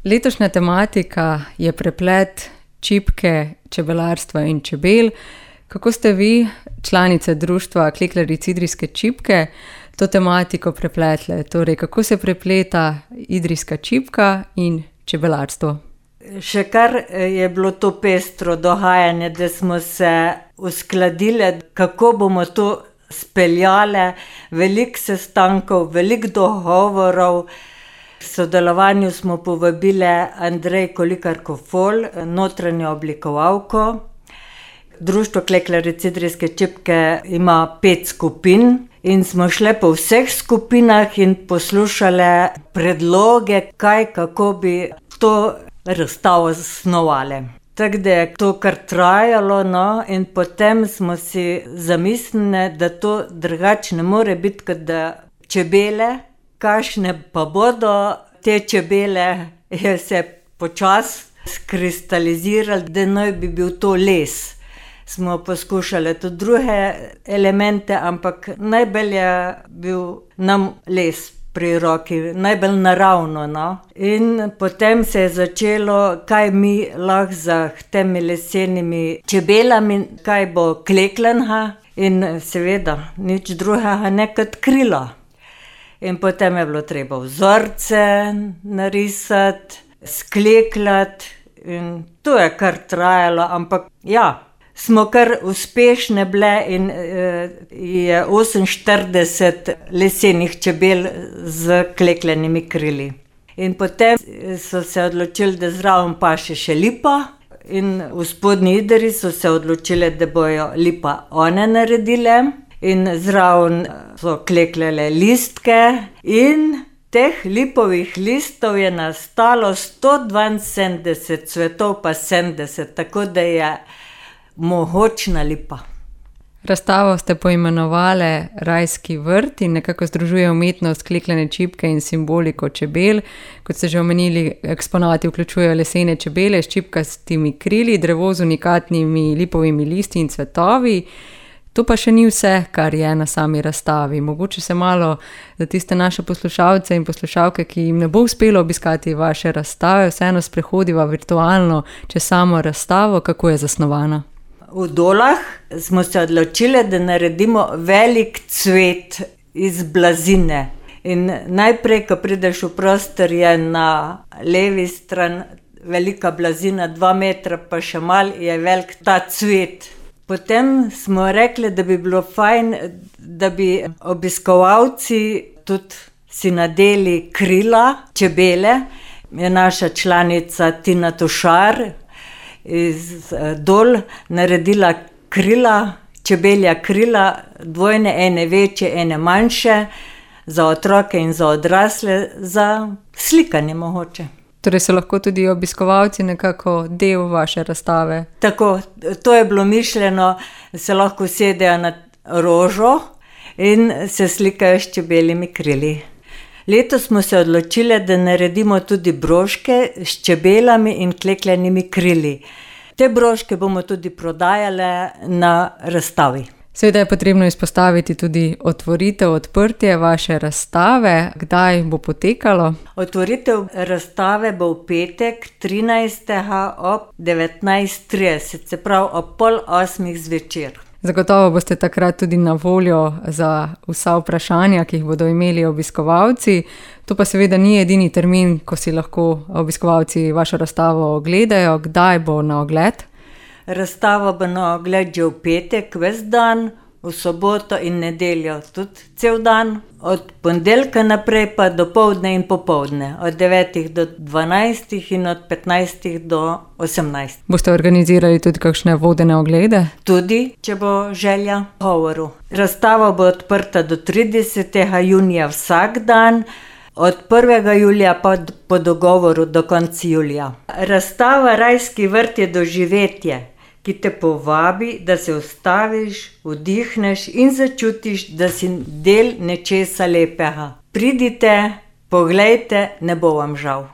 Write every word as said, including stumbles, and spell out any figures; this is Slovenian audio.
Letošnja tematika je preplet čipke, čebelarstva in čebel. Kako ste vi, članice društva Klekljaric Idrijske čipke, to tematiko prepletle? Torej, kako se prepleta idrijska čipka in čebelarstvo? Še kar je bilo to pestro dogajanje, da smo se uskladile, kako bomo to speljale. Veliko sestankov, veliko dogovorov. V sodelovanju smo povabile Andrej Kolikar-Kofol, notranjo oblikovalko. Društvo Klekljaric Idrijske čipke ima pet skupin in smo šle po vseh skupinah in poslušale predloge, kaj, kako bi to razstavo zasnovale. Tako da je to kar trajalo, no, in potem smo si zamislili, da to drugače ne more biti, kot da čebele, kakšne pa bodo te čebele, je se počasi skristaliziralo, da naj bi bil to les. Smo poskušali tudi druge elemente, ampak najbolj je bil nam les pri roki, najbolj naravno, no. In potem se je začelo, kaj mi lahko za temi lesenimi čebelami, kaj bo klekljanga, in seveda nič drugega ne kot krila. In potem je bilo treba vzorce narisati, sklekljati, in to je kar trajalo, ampak ja, smo kar uspešne bile in eh, je oseminštirideset lesenih čebel z klekljanimi krili. In potem so se odločili, da zraven paše še lipa, in v Spodnji Idriji so se odločili, da bojo lipa one naredile, in zraven so klekljale listke, in teh lipovih listov je nastalo sto dvainsedemdeset cvetov pa sedemdeset, tako da je mogočna lipa. Razstavo ste poimenovali Rajski vrt in nekako združuje umetnost klekljane čipke in simboliko čebel. Kot ste že omenili, eksponati vključujejo lesene čebele s čipkastimi krili, drevo z unikatnimi lipovimi listi in cvetovi. To pa še ni vse, kar je na sami razstavi. Mogoče se malo za tiste naše poslušalce in poslušalke, ki jim ne bo uspelo obiskati vaše razstave, vseeno sprehodiva virtualno čez samo razstavo, kako je zasnovana. V Dolah smo se odločili, da naredimo velik cvet iz blazine. In najprej, ko prideš v prostor, je na levi strani velika blazina, dva metra, pa še malo je velik ta cvet. Potem smo rekli, da bi bilo fajn, da bi obiskovalci tudi si nadeli krila čebele. Je naša članica Tina Tušar iz Dol naredila krila, čebelja krila, dvojne, ene večje, ene manjše, za otroke in za odrasle, za slikanje mogoče. Torej so lahko tudi obiskovalci nekako del vaše razstave? Tako, to je bilo mišljeno, da se lahko sedejo na rožo in se slikajo s čebeljimi krili. Letos smo se odločili, da naredimo tudi broške s čebelami in klekljanimi krili. Te broške bomo tudi prodajale na razstavi. Seveda je potrebno izpostaviti tudi otvoritev, odprtje vaše razstave. Kdaj bo potekalo? Otvoritev razstave bo v petek, trinajstega ob devetnajst trideset, se pravi ob pol osmih zvečer. Zagotovo boste takrat tudi na voljo za vsa vprašanja, ki jih bodo imeli obiskovalci. To pa seveda ni edini termin, ko si lahko obiskovalci vašo razstavo ogledajo. Kdaj bo na ogled? Razstava bo na ogled že v petek, ves dan, v soboto in nedeljo tudi cel dan. Od ponedeljka naprej pa do poldne in popoldne, od devetih do dvanajstih in od petnajstih do osemnajstih. Boste organizirali tudi kakšne vodene oglede? Tudi, če bo želja govoru. Razstava bo odprta do tridesetega junija vsak dan, od prvega julija pa po dogovoru do konca julija. Razstava Rajski vrt je doživetje, ki te povabi, da se ustaviš, vdihneš in začutiš, da si del nečesa lepega. Pridite, poglejte, ne bo vam žal.